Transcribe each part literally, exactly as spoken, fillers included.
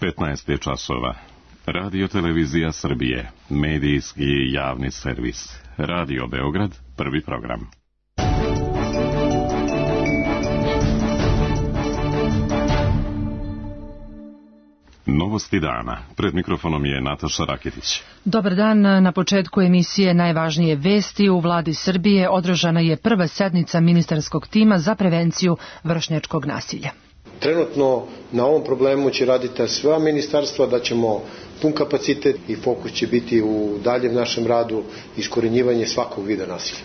petnaest je časova. Radio Televizija Srbije, medijski javni servis. Radio Beograd, prvi program. Novosti dana. Pred mikrofonom je Nataša Raketić. Dobar dan. Na početku emisije Najvažnije vesti u vladi Srbije održana je prva sednica ministarskog tima za prevenciju vršnjačkog nasilja. Trenutno na ovom problemu će raditi sva ministarstva, da ćemo pun kapacitet i fokus će biti u daljem našem radu iskorenjivanje svakog vida nasilja.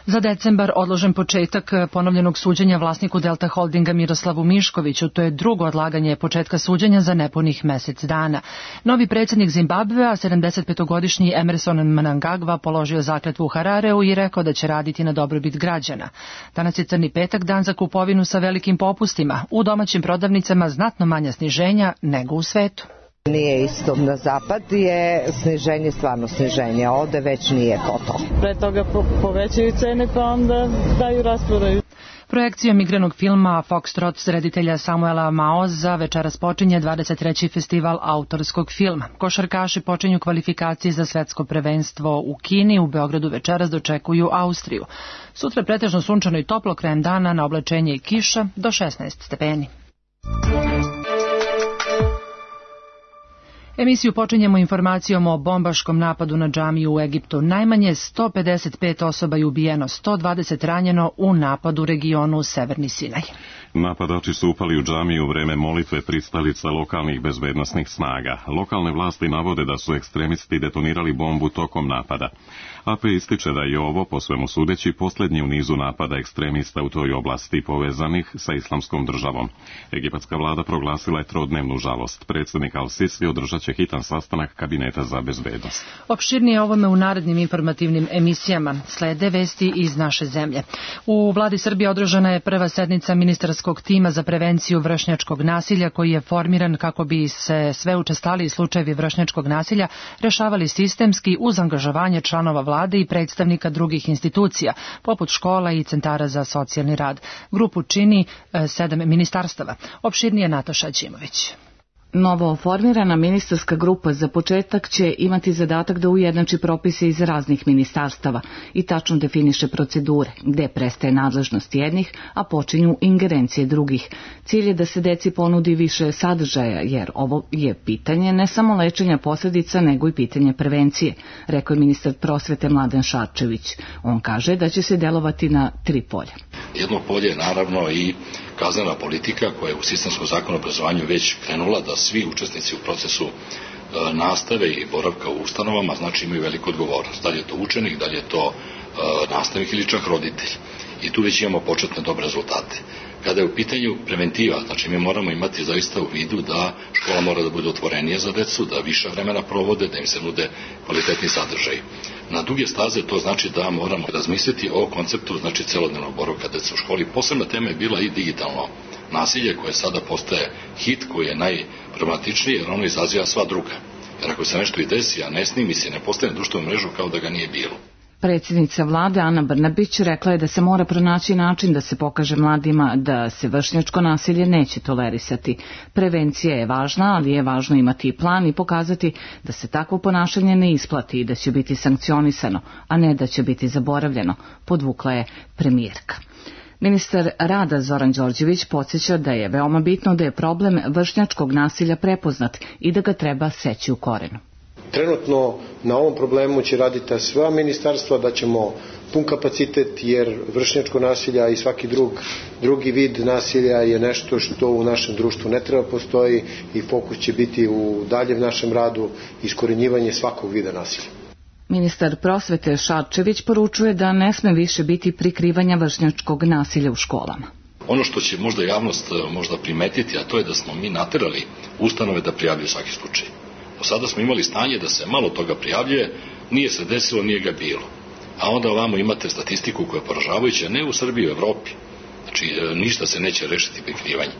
Za decembar odložen početak ponovljenog suđenja vlasniku Delta Holdinga Miroslavu Miškoviću. To je drugo odlaganje početka suđenja za nepunih mesec dana. Novi predsjednik Zimbabvea, sedamdesetpetogodišnji Emerson Mnangagwa, položio zakletvu u Harareu i rekao da će raditi na dobrobit građana. Danas je crni petak, dan za kupovinu sa velikim popustima. U domaćim prodavnicama znatno manja sniženja nego u svetu. Nije isto, na zapad je sniženje stvarno sniženje, ovde već nije ko to. Pre toga po, povećaju cene pa onda daju rasprodaju. Projekcijom igranog filma Foxtrot reditelja Samuela Maoza večeras počinje dvadeset treći festival autorskog filma. Košarkaši počinju kvalifikacije za svetsko prvenstvo u Kini, u Beogradu večeras dočekuju Austriju. Sutra pretežno sunčano i toplo, krajem dana na oblačenje i kiša do šesnaest stepeni. Emisiju počinjemo informacijom o bombaškom napadu na džamiju u Egiptu. Najmanje sto pedeset pet osoba je ubijeno, sto dvadeset ranjeno u napadu u regionu Severni Sinaj. Napadači su upali u džamiju u vreme molitve pristalica lokalnih bezbednosnih snaga. Lokalne vlasti navode da su ekstremisti detonirali bombu tokom napada. A P ističe da je ovo, po svemu sudeći, posljednji u nizu napada ekstremista u toj oblasti povezanih sa islamskom državom. Egipatska vlada proglasila je trodnevnu žalost. Predsjednik Al-Sisi održat će hitan sastanak kabineta za bezbednost. Opširnije ovome u narednim informativnim emisijama. Slede vesti iz naše zemlje. U vladi Srbije održana je prva sednica ministarskog tima za prevenciju vršnjačkog nasilja, koji je formiran kako bi se sve učestaliji slučajevi vršnjačkog nasilja rešavali sistemski uz angažovanje članova vlade i predstavnika drugih institucija, poput škola i centara za socijalni rad. Grupu čini e, sedam ministarstava. Opširnije Nataša Ćimović. Novo formirana ministarska grupa za početak će imati zadatak da ujednači propise iz raznih ministarstava i tačno definiše procedure, gde prestaje nadležnost jednih, a počinju ingerencije drugih. Cilj je da se deci ponudi više sadržaja, jer ovo je pitanje ne samo lečenja posljedica, nego i pitanje prevencije, rekao je ministar prosvete Mladen Šarčević. On kaže da će se delovati na tri polja. Jedno polje je naravno i kaznena politika koja je u sistemskom zakonu o obrazovanju već krenula da svi učesnici u procesu e, nastave i boravka u ustanovama znači imaju veliku odgovornost. Da li je to učenik, da li je to e, nastavnik ili čak roditelj. I tu već imamo početne dobre rezultate. Kada je u pitanju preventiva, znači mi moramo imati zaista u vidu da škola mora da bude otvorenija za decu, da više vremena provode, da im se nude kvalitetni sadržaj. Na duge staze to znači da moramo razmisliti o konceptu znači celodnevnog boravka dece u školi. Posebna tema je bila i digitalno nasilje koje sada postaje hit, koji je najproblematičniji jer ono izaziva sva druga. Jer ako se nešto i desi, a ne snimi se, ne postane društvenu mrežu kao da ga nije bilo. Predsjednica vlade Ana Brnabić rekla je da se mora pronaći način da se pokaže mladima da se vršnjačko nasilje neće tolerisati. Prevencija je važna, ali je važno imati i plan i pokazati da se takvo ponašanje ne isplati i da će biti sankcionisano, a ne da će biti zaboravljeno, podvukla je premijerka. Ministar rada Zoran Đorđević podsjeća da je veoma bitno da je problem vršnjačkog nasilja prepoznat i da ga treba seći u korenu. Trenutno na ovom problemu će raditi sva ministarstva, da ćemo pun kapacitet jer vršnjačko nasilja i svaki drug, drugi vid nasilja je nešto što u našem društvu ne treba postoji i fokus će biti u daljem našem radu iskorenjivanje svakog vida nasilja. Ministar prosvete Šarčević poručuje da ne sme više biti prikrivanja vršnjačkog nasilja u školama. Ono što će možda javnost možda primetiti, a to je da smo mi naterali ustanove da prijavljuju svaki slučaj. Do sada smo imali stanje da se malo toga prijavljuje, nije se desilo, nije ga bilo. A onda ovamo imate statistiku koja je poražavajuća, ne u Srbiji, u Evropi. Znači, ništa se neće rešiti prikrivanje.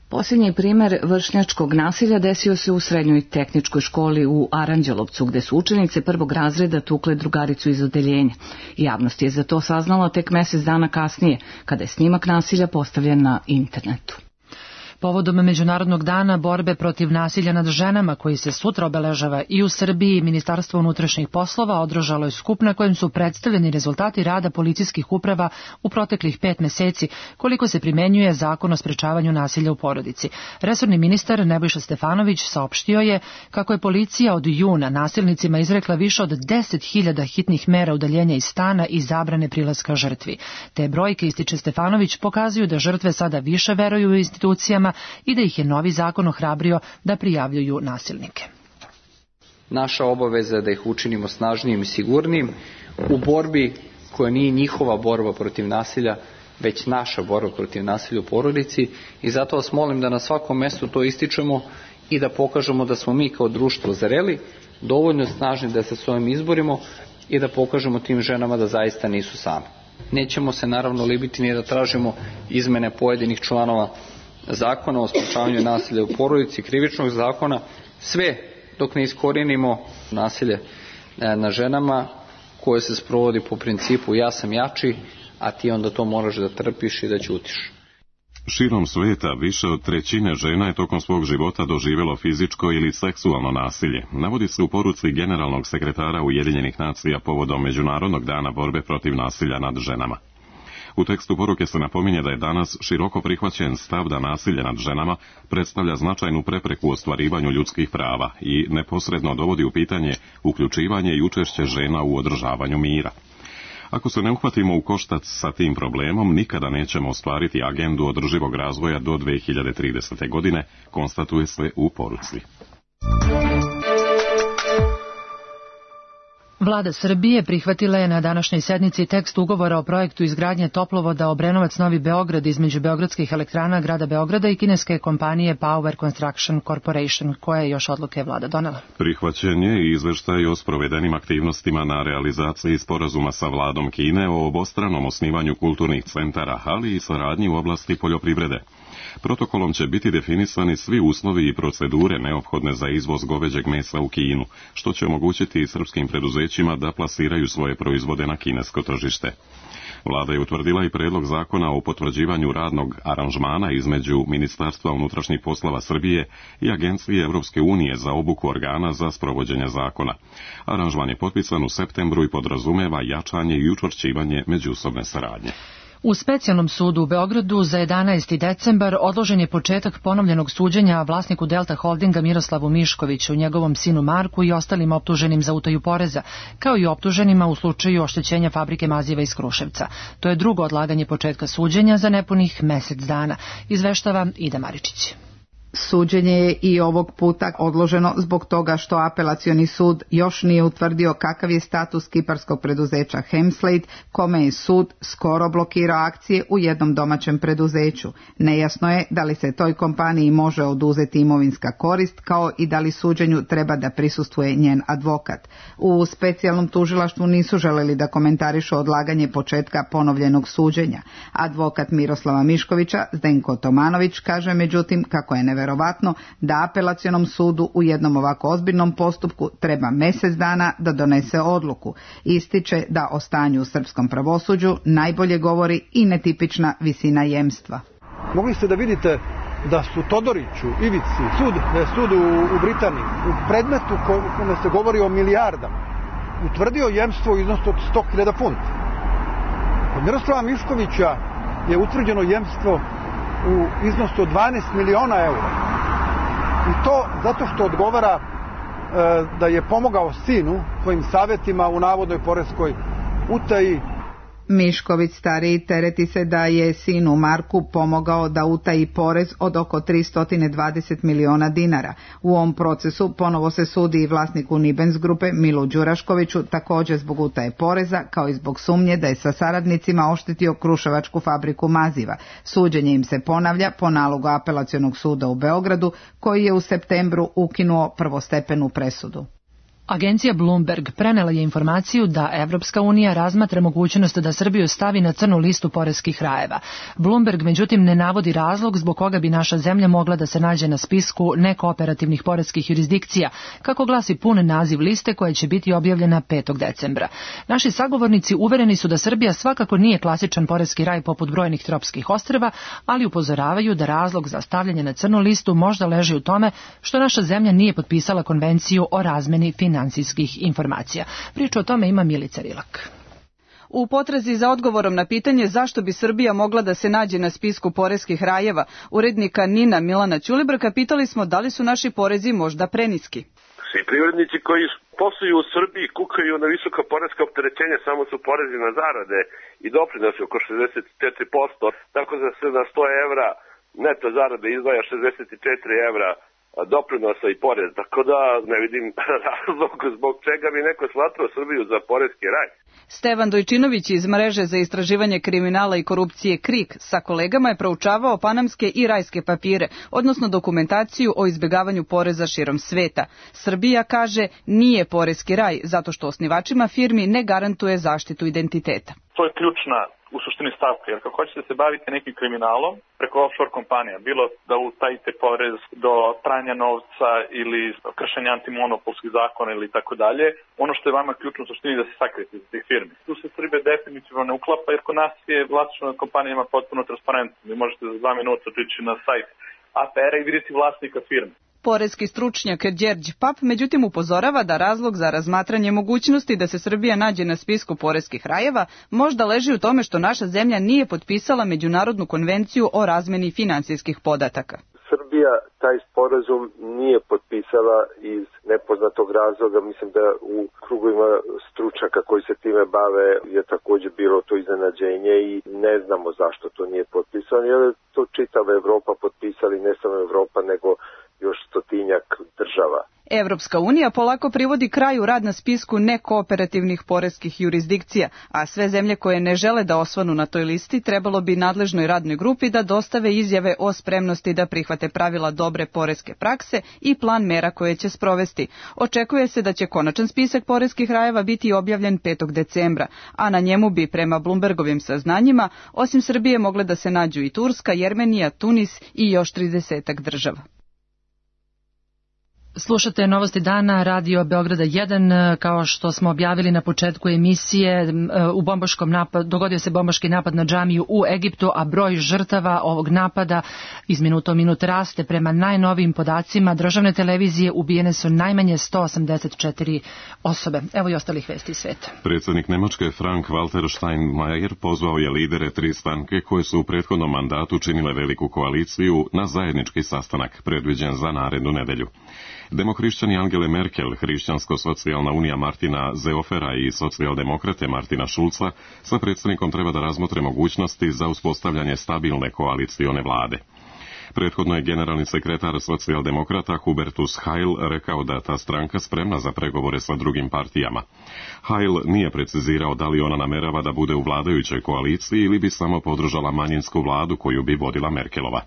Posljednji primer vršnjačkog nasilja desio se u srednjoj tehničkoj školi u Aranđelovcu, gde su učenice prvog razreda tukle drugaricu iz odeljenja. Javnost je za to saznala tek mesec dana kasnije, kada je snimak nasilja postavljen na internetu. Povodom Međunarodnog dana borbe protiv nasilja nad ženama, koji se sutra obeležava i u Srbiji, Ministarstvo unutrašnjih poslova održalo je skup na kojem su predstavljeni rezultati rada policijskih uprava u proteklih pet meseci, koliko se primenjuje Zakon o sprečavanju nasilja u porodici. Resorni ministar Nebojša Stefanović saopštio je kako je policija od juna nasilnicima izrekla više od deset hiljada hitnih mera udaljenja iz stana i zabrane prilaska žrtvi. Te brojke, ističe Stefanović, pokazuju da žrtve sada više veruju u institucijama i da ih je novi zakon ohrabrio da prijavljuju nasilnike. Naša obaveza je da ih učinimo snažnijim i sigurnijim u borbi koja nije njihova borba protiv nasilja, već naša borba protiv nasilja u porodici, i zato vas molim da na svakom mestu to ističemo i da pokažemo da smo mi kao društvo zreli, dovoljno snažni da se s ovim izborimo i da pokažemo tim ženama da zaista nisu same. Nećemo se naravno libiti ni da tražimo izmene pojedinih članova Zakona o sprečavanju nasilja u porodici, krivičnog zakona, sve dok ne iskorijenimo nasilje na ženama koje se sprovodi po principu ja sam jači, a ti onda to moraš da trpiš i da ćutiš. Širom sveta više od trećine žena je tokom svog života doživjelo fizičko ili seksualno nasilje. Navodi se u poruci generalnog sekretara Ujedinjenih nacija povodom Međunarodnog dana borbe protiv nasilja nad ženama. U tekstu poruke se napominje da je danas široko prihvaćen stav da nasilje nad ženama predstavlja značajnu prepreku u ostvarivanju ljudskih prava i neposredno dovodi u pitanje uključivanje i učešće žena u održavanju mira. Ako se ne uhvatimo u koštac sa tim problemom, nikada nećemo ostvariti agendu održivog razvoja do dve hiljade tridesete. godine, konstatuje se u poruci. Vlada Srbije prihvatila je na današnjoj sednici tekst ugovora o projektu izgradnje toplovoda Obrenovac-Novi Beograd između beogradskih elektrana grada Beograda i kineske kompanije Power Construction Corporation, koja je još odluke vlada donela. Prihvaćen je i izveštaj o sprovedenim aktivnostima na realizaciji sporazuma sa vladom Kine o obostranom osnivanju kulturnih centara, ali i saradnji u oblasti poljoprivrede. Protokolom će biti definisani svi uslovi i procedure neophodne za izvoz goveđeg mesa u Kinu, što će omogućiti srpskim preduzećima da plasiraju svoje proizvode na kinesko tržište. Vlada je utvrdila i predlog zakona o potvrđivanju radnog aranžmana između Ministarstva unutrašnjih poslova Srbije i Agencije Evropske unije za obuku organa za sprovođenje zakona. Aranžman je potpisan u septembru i podrazumeva jačanje i učvršćivanje međusobne saradnje. U specijalnom sudu u Beogradu za jedanaesti decembar odložen je početak ponovljenog suđenja vlasniku Delta Holdinga Miroslavu Miškoviću, njegovom sinu Marku i ostalim optuženim za utaju poreza, kao i optuženima u slučaju oštećenja fabrike maziva iz Kruševca. To je drugo odlaganje početka suđenja za nepunih mesec dana, izveštava Ida Maričić. Suđenje je i ovog puta odloženo zbog toga što apelacioni sud još nije utvrdio kakav je status kiparskog preduzeća Hemslade, kome je sud skoro blokirao akcije u jednom domaćem preduzeću. Nejasno je da li se toj kompaniji može oduzeti imovinska korist, kao i da li suđenju treba da prisustvuje njen advokat. U specijalnom tužilaštvu nisu želeli da komentarišu odlaganje početka ponovljenog suđenja. Advokat Miroslava Miškovića, Zdenko Tomanović, kaže međutim kako je neverovatno da apelacionom sudu u jednom ovako ozbiljnom postupku treba mjesec dana da donese odluku. Ističe da o stanju u srpskom pravosuđu najbolje govori i netipična visina jemstva. Mogli ste da vidite da su Todoriću, Ivici, sud, da je sud u, u Britaniji, u predmetu kome se govori o milijardama, utvrdio jemstvo u iznosu od sto hiljada funti. Kod Miroslava Miškovića je utvrđeno jemstvo u iznosu od dvanaest miliona eura. I to zato što odgovara e, da je pomogao sinu svojim savjetima u navodnoj poreskoj utaji. Mišković stariji tereti se da je sinu Marku pomogao da utaji porez od oko tristo dvadeset miliona dinara. U ovom procesu ponovo se sudi i vlasniku Nibens grupe Milu Đuraškoviću, također zbog utaje poreza, kao i zbog sumnje da je sa saradnicima oštetio kruševačku fabriku maziva. Suđenje im se ponavlja po nalogu apelacionog suda u Beogradu, koji je u septembru ukinuo prvostepenu presudu. Agencija Bloomberg prenela je informaciju da Evropska unija razmatra mogućnost da Srbiju stavi na crnu listu poreskih rajeva. Bloomberg međutim ne navodi razlog zbog koga bi naša zemlja mogla da se nađe na spisku nekooperativnih poreskih jurisdikcija, kako glasi pun naziv liste koja će biti objavljena petog decembra. Naši sagovornici uvereni su da Srbija svakako nije klasičan poreski raj poput brojnih tropskih ostrva, ali upozoravaju da razlog za stavljanje na crnu listu možda leži u tome što naša zemlja nije potpisala konvenciju o razmeni financijskih informacija. Priču o tome ima Milica Rilak. U potrazi za odgovorom na pitanje zašto bi Srbija mogla da se nađe na spisku poreskih rajeva, urednika Nina Milana Ćulibrka pitali smo da li su naši porezi možda preniski. Svi privrednici koji posluju u Srbiji kukaju na visoka poreska opterećenja, samo su porezi na zarade i doprinose oko šezdeset četiri posto, tako da se na sto evra neto zarade izdvaja šezdeset četiri evra doprinosa i porez, tako da ne vidim razlog zbog čega bi neko smatrao Srbiju za poreski raj. Stevan Dojčinović iz mreže za istraživanje kriminala i korupcije KRIK sa kolegama je proučavao panamske i rajske papire, odnosno dokumentaciju o izbegavanju poreza širom sveta. Srbija, kaže, nije poreski raj zato što osnivačima firmi ne garantuje zaštitu identiteta. To je ključna u suštini stavka, jer kako hoćete se baviti nekim kriminalom preko offshore kompanija, bilo da utajite porez do pranja novca ili kršenja antimonopolskih zakona ili tako dalje, ono što je vama ključno u suštini da se sakrijete iz tih firmi. Tu se Srbija definitivno ne uklapa, jer kod nas je vlasništvo nad kompanijama potpuno transparentno. Vi možete za dva minuta otići na sajt A P R-a i vidjeti vlasnika firme. Poreski stručnjak Đerđ Pap međutim upozorava da razlog za razmatranje mogućnosti da se Srbija nađe na spisku poreskih rajeva možda leži u tome što naša zemlja nije potpisala Međunarodnu konvenciju o razmeni finansijskih podataka. Srbija taj sporazum nije potpisala iz nepoznatog razloga. Mislim da u krugovima stručnjaka koji se time bave je također bilo to iznenađenje i ne znamo zašto to nije potpisano, jer je to čitava Evropa potpisali, ne samo Evropa nego još stotinjak država. Evropska unija polako privodi kraju rad na spisku nekooperativnih poreskih jurisdikcija, a sve zemlje koje ne žele da osvanu na toj listi trebalo bi nadležnoj radnoj grupi da dostave izjave o spremnosti da prihvate pravila dobre poreske prakse i plan mera koje će sprovesti. Očekuje se da će konačan spisak poreskih rajeva biti objavljen petog decembra, a na njemu bi prema Bloombergovim saznanjima osim Srbije mogle da se nađu i Turska, Jermenija, Tunis i još tridesetak država. Slušate Novosti dana, Radio Beograda jedan, kao što smo objavili na početku emisije, u bombaškom napadu, dogodio se bombaški napad na džamiju u Egiptu, a broj žrtava ovog napada iz minuta u minut raste. Prema najnovijim podacima državne televizije ubijene su najmanje sto osamdeset četiri osobe. Evo i ostalih vesti iz sveta. Predsjednik Nemačke Frank-Walter Steinmeier pozvao je lidere tri stranke koje su u prethodnom mandatu činile veliku koaliciju na zajednički sastanak predviđen za narednu nedelju. Demohrišćani Angele Merkel, Hrišćansko-socijalna unija Martina Zeofera i socijaldemokrate Martina Šulca sa predsjednikom treba da razmotre mogućnosti za uspostavljanje stabilne koalicione vlade. Prethodno je generalni sekretar socijaldemokrata Hubertus Heil rekao da ta stranka spremna za pregovore sa drugim partijama. Heil nije precizirao da li ona namerava da bude u vladajućoj koaliciji ili bi samo podržala manjinsku vladu koju bi vodila Merkelova.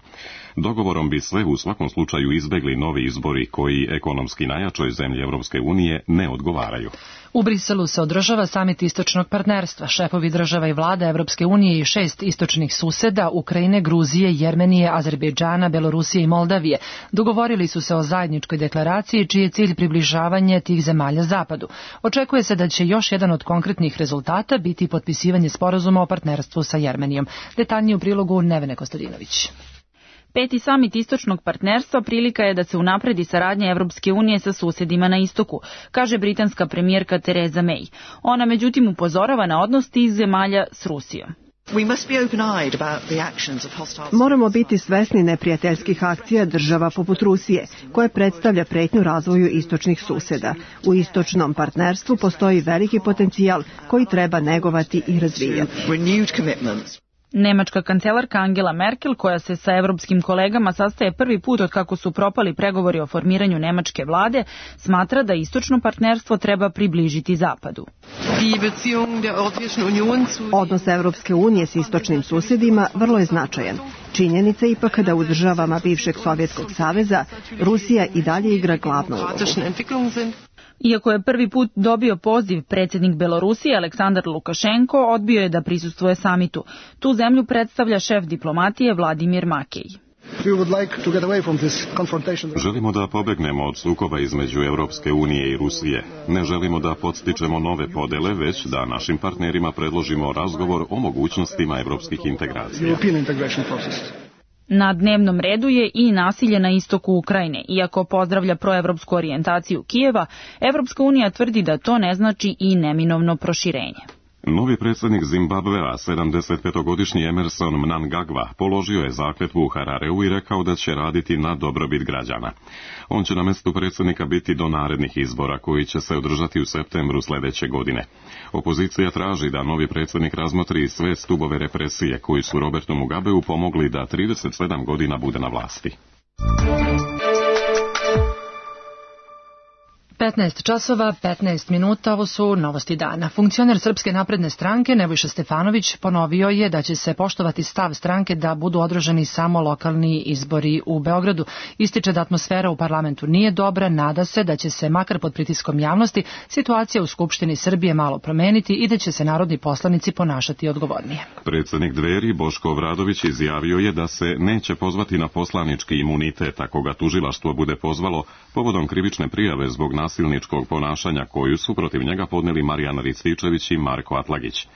Dogovorom bi sve u svakom slučaju izbegli novi izbori koji ekonomski najjačoj zemlji Europske unije ne odgovaraju. U Briselu se održava samit istočnog partnerstva. Šefovi država i vlada Evropske unije i šest istočnih suseda, Ukrajine, Gruzije, Jermenije, Azerbejdžana, Belorusije i Moldavije, dogovorili su se o zajedničkoj deklaraciji čiji je cilj približavanje tih zemalja zapadu. Očekuje se da će još jedan od konkretnih rezultata biti potpisivanje sporazuma o partnerstvu sa Jermenijom. Detaljnije u prilogu Nevene Kostadinović. Peti samit istočnog partnerstva prilika je da se unapredi saradnja Evropske unije sa susedima na istoku, kaže britanska premijerka Theresa May. Ona međutim upozorava na odnos tih zemalja s Rusijom. Moramo biti svesni neprijateljskih akcija država poput Rusije, koje predstavlja pretnju razvoju istočnih suseda. U istočnom partnerstvu postoji veliki potencijal koji treba negovati i razvijati. Nemačka kancelarka Angela Merkel, koja se sa evropskim kolegama sastaje prvi put od kako su propali pregovori o formiranju nemačke vlade, smatra da istočno partnerstvo treba približiti zapadu. Odnos Evropske unije s istočnim susjedima vrlo je značajan. Činjenica je ipak da u državama bivšeg Sovjetskog saveza Rusija i dalje igra glavnu ulogu. Iako je prvi put dobio poziv, predsjednik Belorusije Aleksandar Lukašenko odbio je da prisustvuje samitu. Tu zemlju predstavlja šef diplomatije Vladimir Makej. Želimo da pobegnemo od sukoba između Europske unije i Rusije. Ne želimo da podstičemo nove podele, već da našim partnerima predložimo razgovor o mogućnostima evropskih integracija. Na dnevnom redu je i nasilje na istoku Ukrajine. Iako pozdravlja proevropsku orijentaciju Kijeva, Evropska unija tvrdi da to ne znači i neminovno proširenje. Novi predsjednik Zimbabvea, sedamdesetpetogodišnji Emerson Mnangagwa, položio je zakletvu u Harareu i rekao da će raditi na dobrobit građana. On će na mjestu predsjednika biti do narednih izbora koji će se održati u septembru sljedeće godine. Opozicija traži da novi predsjednik razmotri sve stubove represije koji su Robertu Mugabeu pomogli da trideset sedam godina bude na vlasti. petnaest časova, petnaest minuta, ovo su novosti dana. Funkcioner Srpske napredne stranke Nebojša Stefanović ponovio je da će se poštovati stav stranke da budu održani samo lokalni izbori u Beogradu. Ističe da atmosfera u parlamentu nije dobra, nada se da će se, makar pod pritiskom javnosti, situacija u Skupštini Srbije malo promeniti i da će se narodni poslanici ponašati odgovornije. Predsjednik Dveri Boško Obradović izjavio je da se neće pozvati na poslanički imunitet ako ga tužilaštvo bude pozvalo povodom krivične prijave zbog nasilničkog ponašanja koju su protiv njega podneli Marijan Rističević i Marko Atlagić.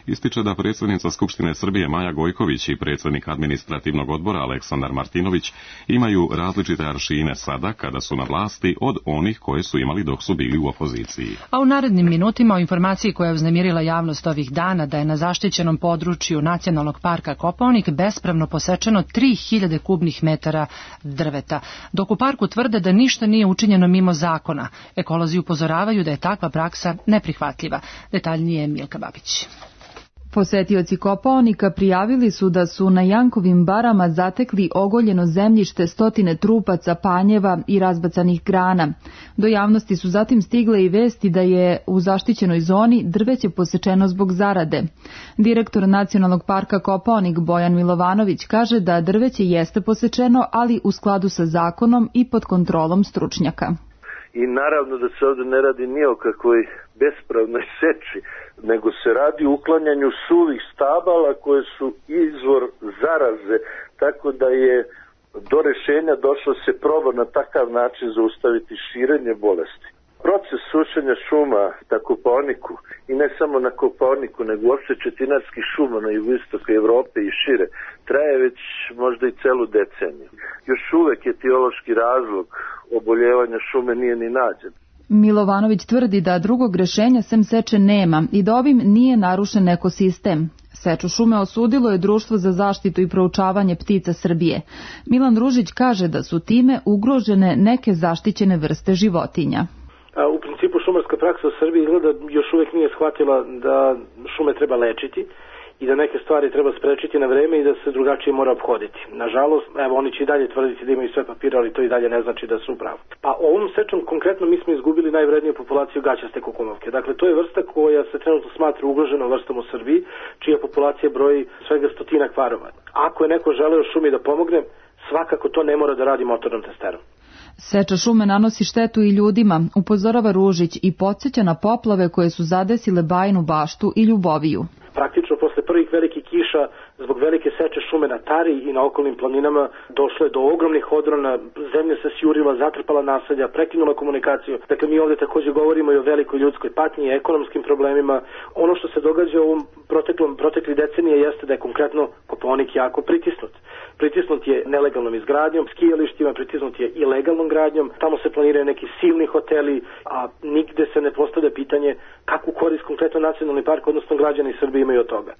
Ističe da predsjednica Skupštine Srbije Maja Gojković i predsjednik administrativnog odbora Aleksandar Martinović imaju različite aršine sada kada su na vlasti od onih koje su imali dok su bili u opoziciji. A u narednim minutima o informaciji koja je uznemirila javnost ovih dana da je na zaštićenom području Nacionalnog parka Kopaonik bespravno posečeno tri hiljade kubnih metara drveta, dok u parku tvrde da ništa nije učinjeno mimo zakona. Ekolozi upozoravaju da je takva praksa neprihvatljiva. Detaljnije Milka Babić. Posetioci Kopaonika prijavili su da su na Jankovim barama zatekli ogoljeno zemljište, stotine trupaca, panjeva i razbacanih grana. Do javnosti su zatim stigle i vesti da je u zaštićenoj zoni drveće posečeno zbog zarade. Direktor Nacionalnog parka Kopaonik Bojan Milovanović kaže da drveće jeste posečeno, ali u skladu sa zakonom i pod kontrolom stručnjaka. I naravno da se ovdje ne radi ni o kakvoj bespravnoj seči, nego se radi o uklanjanju suvih stabala koje su izvor zaraze, tako da je do rješenja došlo se proba na takav način zaustaviti širenje bolesti. Proces sušenja šuma na Kopaoniku i ne samo na Kopaoniku, nego uopšte četinarskih šuma na jugoistoku Evrope i šire traje već možda i celu deceniju. Još uvek etiološki razlog oboljevanja šume nije ni nađen. Milovanović tvrdi da drugog rješenja sem seče nema i da ovim nije narušen ekosistem. Seču šume osudilo je Društvo za zaštitu i proučavanje ptica Srbije. Milan Ružić kaže da su time ugrožene neke zaštićene vrste životinja. U principu šumarska praksa u Srbiji izgleda još uvijek nije shvatila da šume treba lečiti i da neke stvari treba sprečiti na vreme i da se drugačije mora obhoditi. Nažalost, evo, oni će i dalje tvrditi da imaju sve papire, ali to i dalje ne znači da su u pravu. Pa ovom sečom konkretno mi smo izgubili najvredniju populaciju gaćaste kukumovke. Dakle, to je vrsta koja se trenutno smatra ugroženom vrstom u Srbiji, čija populacija broji svega stotinak varova. Ako je neko želeo šumi da pomogne, svakako to ne mora da radi motornom testerom. Seča šume nanosi štetu i ljudima, upozorava Ružić i podsjeća na poplave koje su zadesile Bajinu Baštu i Ljuboviju. Praktično posle prvih velikih kiša zbog velike seče šume na Tari i na okolnim planinama došlo je do ogromnih odrona, zemlja se sjurila, zatrpala naselja, prekinula komunikaciju. Dakle, mi ovdje također govorimo i o velikoj ljudskoj patnji i ekonomskim problemima. Ono što se događa u ovom proteklom, protekli decenije jeste da je konkretno Kopaonik jako pritisnut. Pritisnut je nelegalnom izgradnjom, skijalištima, pritisnut je ilegalnom gradnjom, tamo se planiraju neki silni hoteli, a nigde se ne postavlja pitanje kakvu korist konkretno nacionalni park, odnosno građani Srbije imaju od toga.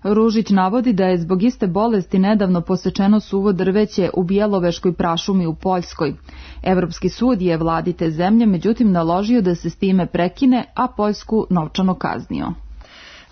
Ružić navodi da je zbog iste bolesti nedavno posečeno suvo drveće u Bjeloveškoj prašumi u Poljskoj. Evropski sud je vladi te zemlje međutim naložio da se s time prekine, a Poljsku novčano kaznio.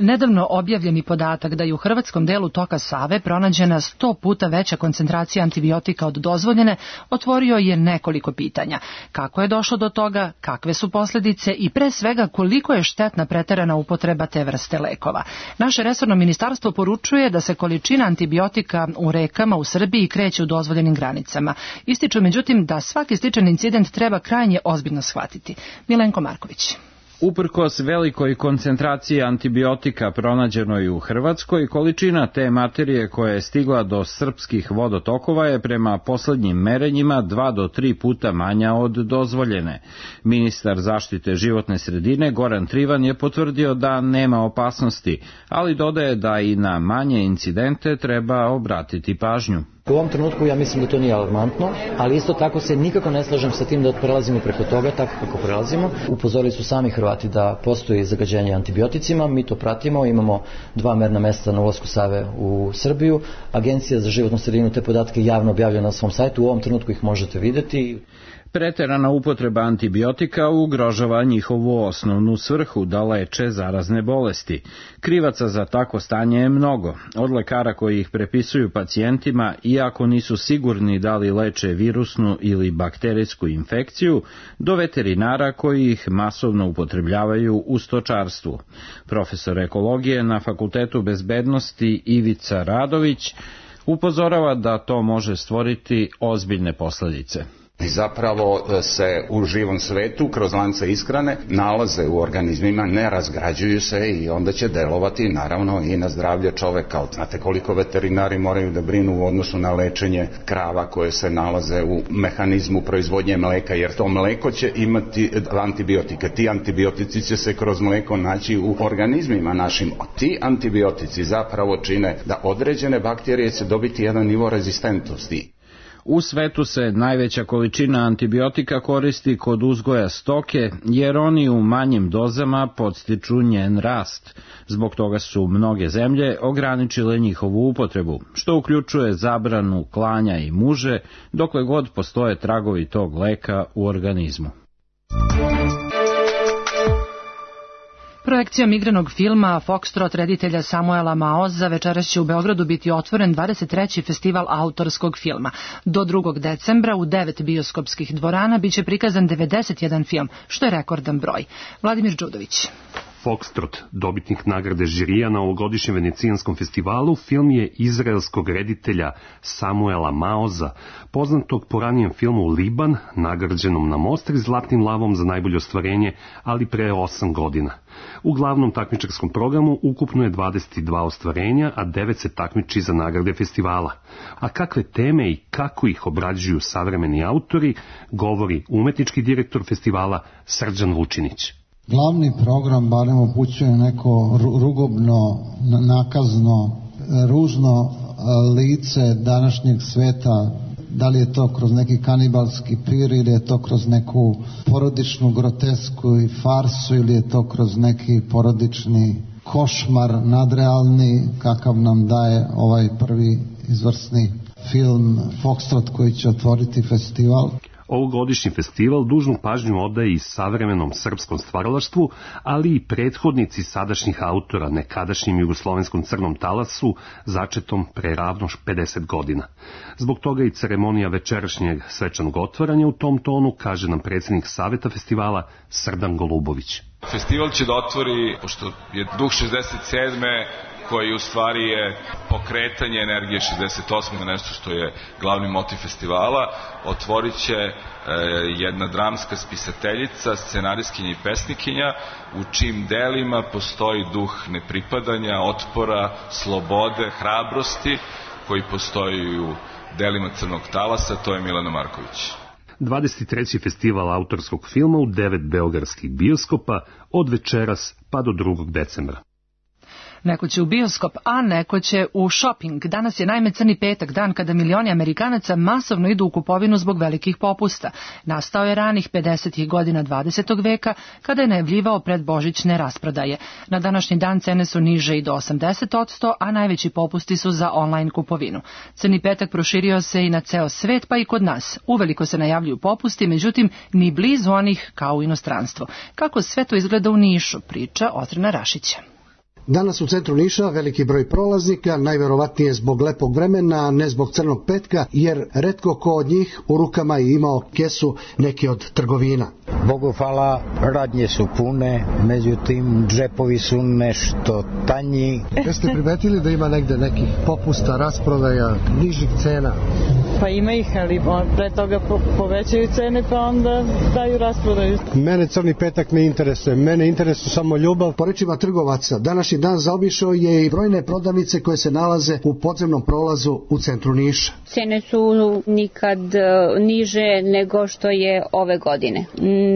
Nedavno objavljeni podatak da je u hrvatskom delu toka Save pronađena sto puta veća koncentracija antibiotika od dozvoljene otvorio je nekoliko pitanja. Kako je došlo do toga, kakve su posljedice i pre svega koliko je štetna preterana upotreba te vrste lekova. Naše resorno ministarstvo poručuje da se količina antibiotika u rekama u Srbiji kreće u dozvoljenim granicama. Ističu međutim da svaki sličan incident treba krajnje ozbiljno shvatiti. Milenko Marković. Uprkos velikoj koncentraciji antibiotika pronađenoj u Hrvatskoj, količina te materije koja je stigla do srpskih vodotokova je prema poslednjim merenjima dva do tri puta manja od dozvoljene. Ministar zaštite životne sredine Goran Trivan je potvrdio da nema opasnosti, ali dodaje da i na manje incidente treba obratiti pažnju. U ovom trenutku ja mislim da to nije alarmantno, ali isto tako se nikako ne slažem sa tim da prelazimo preko toga tako kako prelazimo. Upozorili su sami Hrvati da postoji zagađenje antibioticima, mi to pratimo, imamo dva merna mesta na ulasku Save u Srbiju. Agencija za životnu sredinu te podatke javno objavlja na svom sajtu, u ovom trenutku ih možete videti. Preterana upotreba antibiotika ugrožava njihovu osnovnu svrhu da leče zarazne bolesti. Krivaca za tako stanje je mnogo. Od lekara koji ih prepisuju pacijentima, iako nisu sigurni da li leče virusnu ili bakterijsku infekciju, do veterinara koji ih masovno upotrebljavaju u stočarstvu. Profesor ekologije na Fakultetu bezbednosti Ivica Radović upozorava da to može stvoriti ozbiljne posljedice. I zapravo se u živom svetu kroz lance ishrane nalaze u organizmima, ne razgrađuju se i onda će delovati naravno i na zdravlje čoveka. Znate koliko veterinari moraju da brinu u odnosu na lečenje krava koje se nalaze u mehanizmu proizvodnje mleka, jer to mleko će imati antibiotike. Ti antibiotici će se kroz mleko naći u organizmima našim. Ti antibiotici zapravo čine da određene bakterije će dobiti jedan nivo rezistentnosti. U svetu se najveća količina antibiotika koristi kod uzgoja stoke, jer oni u manjim dozama podstiču njen rast. Zbog toga su mnoge zemlje ograničile njihovu upotrebu, što uključuje zabranu klanja i muže, dokle god postoje tragovi tog leka u organizmu. Projekcijom igranog filma Foxtrot reditelja Samuela Maoza večeras će u Beogradu biti otvoren dvadeset treći festival autorskog filma. Do drugog decembra u devet bioskopskih dvorana biće prikazan devedeset jedan film, što je rekordan broj. Vladimir Đudović. Foxtrot, dobitnik nagrade žirija na ovogodišnjem venecijanskom festivalu, film je izraelskog reditelja Samuela Maoza, poznatog po ranijem filmu Liban, nagrađenom na Mostri zlatnim lavom za najbolje ostvarenje, ali pre osam godina. U glavnom takmičarskom programu ukupno je dvadeset dva ostvarenja, a devet se takmiči za nagrade festivala. A kakve teme i kako ih obrađuju savremeni autori, govori umetnički direktor festivala Srđan Vučinić. Glavni program barem upućuje neko rugobno, nakazno, ružno lice današnjeg sveta, da li je to kroz neki kanibalski pir ili je to kroz neku porodičnu grotesku i farsu ili je to kroz neki porodični košmar nadrealni kakav nam daje ovaj prvi izvrsni film Foxtrot koji će otvoriti festival. Ovogodišnji festival dužnu pažnju odaje i savremenom srpskom stvaralaštvu, ali i prethodnici sadašnjih autora nekadašnjim jugoslovenskom crnom talasu, začetom pre ravno pedeset godina. Zbog toga i ceremonija večerašnjeg svečanog otvaranja u tom tonu, kaže nam predsjednik Saveta festivala Srdan Golubović. Festival će da otvori, pošto je duh šezdeset sedme koji u stvari je pokretanje energije šezdeset osme, nešto što je glavni motiv festivala, otvorit će e, jedna dramska spisateljica, scenarijskinja i pesnikinja, u čim delima postoji duh nepripadanja, otpora, slobode, hrabrosti, koji postoji u delima Crnog talasa, to je Milana Marković. dvadeset treći festival autorskog filma u devet beogradskih bioskopa od večeras pa do drugog decembra. Neko će u bioskop, a neko će u shopping. Danas je naime Crni petak, dan kada milioni Amerikanaca masovno idu u kupovinu zbog velikih popusta. Nastao je ranih pedesetih godina dvadesetog veka, kada je najavljivao predbožićne rasprodaje. Na današnji dan cene su niže i do osamdeset posto, a najveći popusti su za online kupovinu. Crni petak proširio se i na ceo svet, pa i kod nas. Uveliko se najavljuju popusti, međutim, ni blizu onih kao u inostranstvu. Kako sve to izgleda u Nišu, priča Otrena Rašića. Danas u centru Niša veliki broj prolaznika, najverovatnije zbog lepog vremena, ne zbog crnog petka, jer retko ko od njih u rukama je imao kesu neke od trgovina. Bogu hvala, radnje su pune, međutim džepovi su nešto tanji. Jeste primetili da ima negde nekih popusta, rasprodaja, nižih cena? Pa ima ih, ali pre toga povećaju cene pa onda daju rasprodaju. Mene crni petak ne interesuje, mene interesuje samo ljubav. Po rečima trgovaca, današnji dan zaobišao je i brojne prodavnice koje se nalaze u podzemnom prolazu u centru Niša. Cene su nikad niže nego što je ove godine.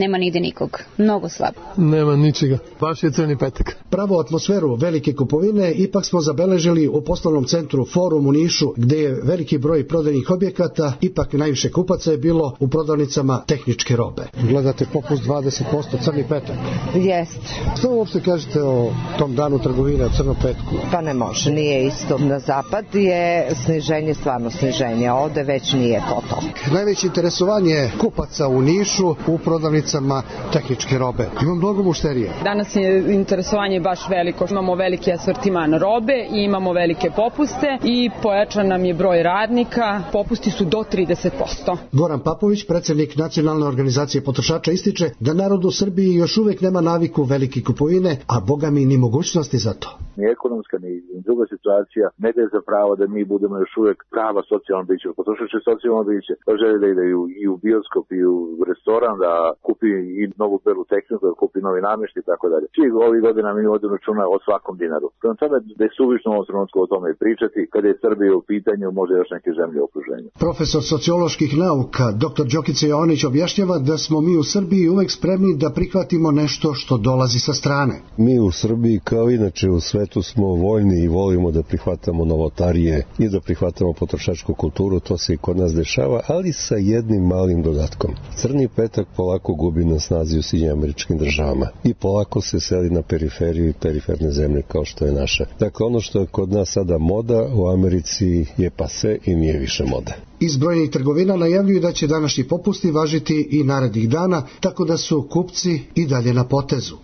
Nema nigde nikog. Mnogo slabo. Nema ničega. Baš je crni petak. Pravu atmosferu velike kupovine ipak smo zabeležili u poslovnom centru Forum u Nišu, gde je veliki broj prodajnih objekata, ipak najviše kupaca je bilo u prodavnicama tehničke robe. Gledate popust dvadeset posto crni petak? Jest. Što uopšte kažete o tom danu trgovine, o crnom petku? Pa ne može, nije isto. Na zapad je sniženje, stvarno sniženje, a ovde već nije to to. Najveće interesovanje kupaca u Nišu u prodavnicama tehničke robe. Ima mnogo mušterija. Danas je interesovanje baš veliko. Imamo veliki asortiman robe i imamo velike popuste i pojačan nam je broj radnika. Popusti su do trideset posto. Goran Papović, predsjednik Nacionalne organizacije potrošača, ističe da narod u Srbiji još uvek nema naviku velike kupovine, a boga mi ni mogućnosti za to. Ni ekonomska, ni druga situacija ne daje za pravo da mi budemo još uvek prava socijalna bića. Potrošač je socijalno biće, pa želi da ide i u bioskop i u restoran, da kupi i novu belu tehniku, da kupi novi namještaj i tako dalje. Svih ovih godina mi vodimo računa o svakom dinaru. Prema tome da je suvišno u ovom trenutku o tome pričati, kada je Srbija u pitanju, možda još neke zemlje u okruženju. Profesor socioloških nauka, doktor Đokica Jovanić, objašnjava da smo mi u Srbiji uvek spremni da prihvatimo nešto što dolazi sa strane. Mi u Srbiji, kao inače u svetu, smo voljni i volimo da prihvatamo novotarije i da prihvatamo potrošačku kulturu, to se i kod nas dešava, ali sa jednim malim dodatkom. Crni petak polako gubi na snazi u Sjedinjenim Američkim Državama i polako se seli na periferiju i periferne zemlje kao što je naša. Dakle, ono što je kod nas sada moda, u Americi je pase i nije više moda. Iz brojnih trgovina najavljuju da će današnji popusti važiti i narednih dana, tako da su kupci i dalje na potezu.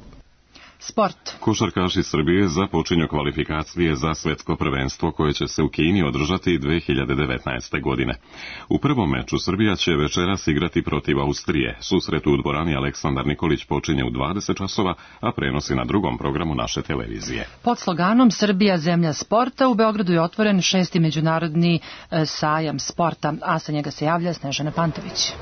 Sport. Košarkaši Srbije započinju kvalifikacije za svetsko prvenstvo koje će se u Kini održati dve hiljade devetnaeste. godine. U prvom meču Srbija će večeras igrati protiv Austrije. Susret u dvorani Aleksandar Nikolić počinje u dvadeset časova, a prenosi na drugom programu naše televizije. Pod sloganom Srbija zemlja sporta u Beogradu je otvoren šesti međunarodni sajam sporta, a sa njega se javlja Snežana Pantović.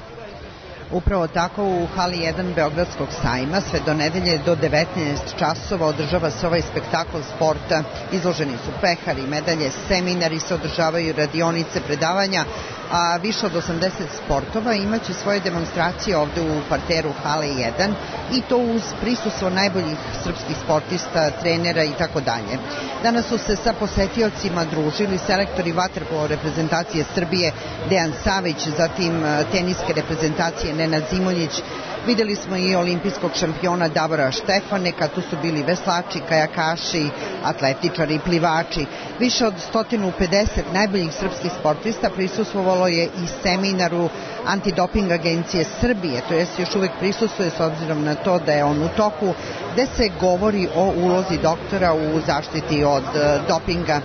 Upravo tako u hali jedan Beogradskog sajma sve do nedelje do devetnaest časova održava se ovaj spektakl sporta. Izloženi su pehari, medalje, seminari, se održavaju radionice, predavanja, a više od osamdeset sportova imaće svoje demonstracije ovde u parteru hale jedan i to uz prisustvo najboljih srpskih sportista, trenera i tako dalje. Danas su se sa posetiocima družili selektori vaterpolo reprezentacije Srbije Dejan Savić, zatim teniske reprezentacije Nenad Zimonjić. Videli smo i olimpijskog šampiona Davora Štefaneka, tu su bili veslači, kajakaši, atletičari, plivači. Više od sto pedeset najboljih srpskih sportista prisustvovalo je i seminaru Antidoping agencije Srbije, to jest još uvek prisustvuje s obzirom na to da je on u toku, gde se govori o ulozi doktora u zaštiti od dopinga.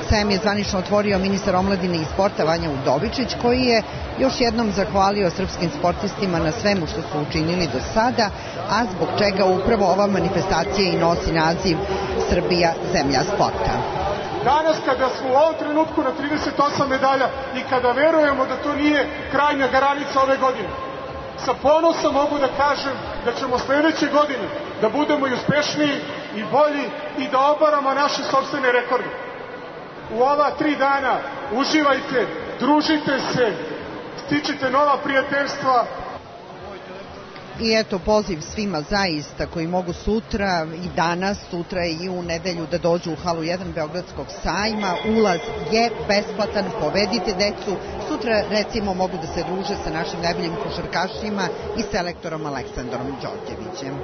Sajam je zvanično otvorio ministar omladine i sporta Vanja Udovičić, koji je još jednom zahvalio srpskim sportistima na svemu što su učinili do sada, a zbog čega upravo ova manifestacija i nosi naziv Srbija zemlja sporta. Danas kada smo u ovom trenutku na trideset osam medalja i kada verujemo da to nije krajnja granica ove godine, sa ponosom mogu da kažem da ćemo sledeće godine da budemo i uspešniji i bolji i da obaramo naše sopstvene rekorde. U ova tri dana uživajte, družite se, stičite nova prijateljstva. I eto poziv svima zaista koji mogu sutra i danas, sutra i u nedelju da dođu u halu jedan Beogradskog sajma. Ulaz je besplatan, povedite decu. Sutra recimo mogu da se druže sa našim najboljim košarkašima i selektorom Aleksandrom Đorđevićem.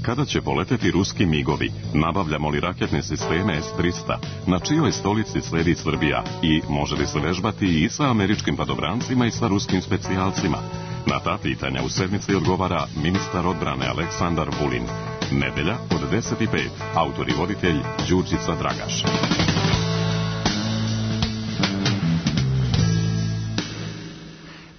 Kada će poleteti ruski migovi? Nabavljamo li raketne sisteme S tristo? Na čijoj stolici sledi Srbija? I može li se vežbati i sa američkim padobrancima i sa ruskim specijalcima? Na ta pitanja u sedmici odgovara ministar odbrane Aleksandar Vulin. Nedelja od deset i pet. Autor i voditelj Đurđica Dragaš.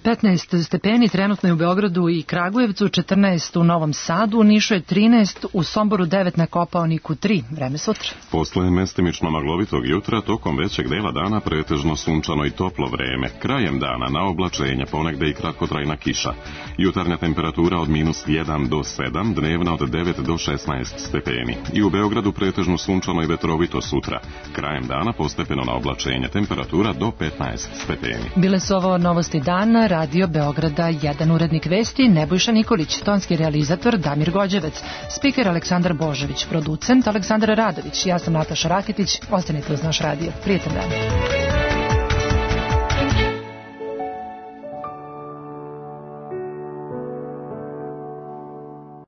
petnaest stepeni trenutno je u Beogradu i Kragujevcu, četrnaest u Novom Sadu, u Nišu je trinaest, u Somboru devet, na Kopaoniku tri. Vreme sutra. Posle mestimično maglovitog jutra, tokom većeg dela dana pretežno sunčano i toplo vreme. Krajem dana na oblačenja, ponegde i kratkotrajna kiša. Jutarnja temperatura od minus jedan do sedam, dnevna od devet do šesnaest stepeni. I u Beogradu pretežno sunčano i vetrovito sutra. Krajem dana postepeno na oblačenja, temperatura do petnaest stepeni. Bile su ovo novosti dana, Radio Beograda, jedan urednik vesti Nebojša Nikolić, tonski realizator Damir Gođevec, spiker Aleksandar Božović, producent Aleksandar Radović. Ja sam Nataša Rakitić, ostanite uz naš radio. Prijetan dan.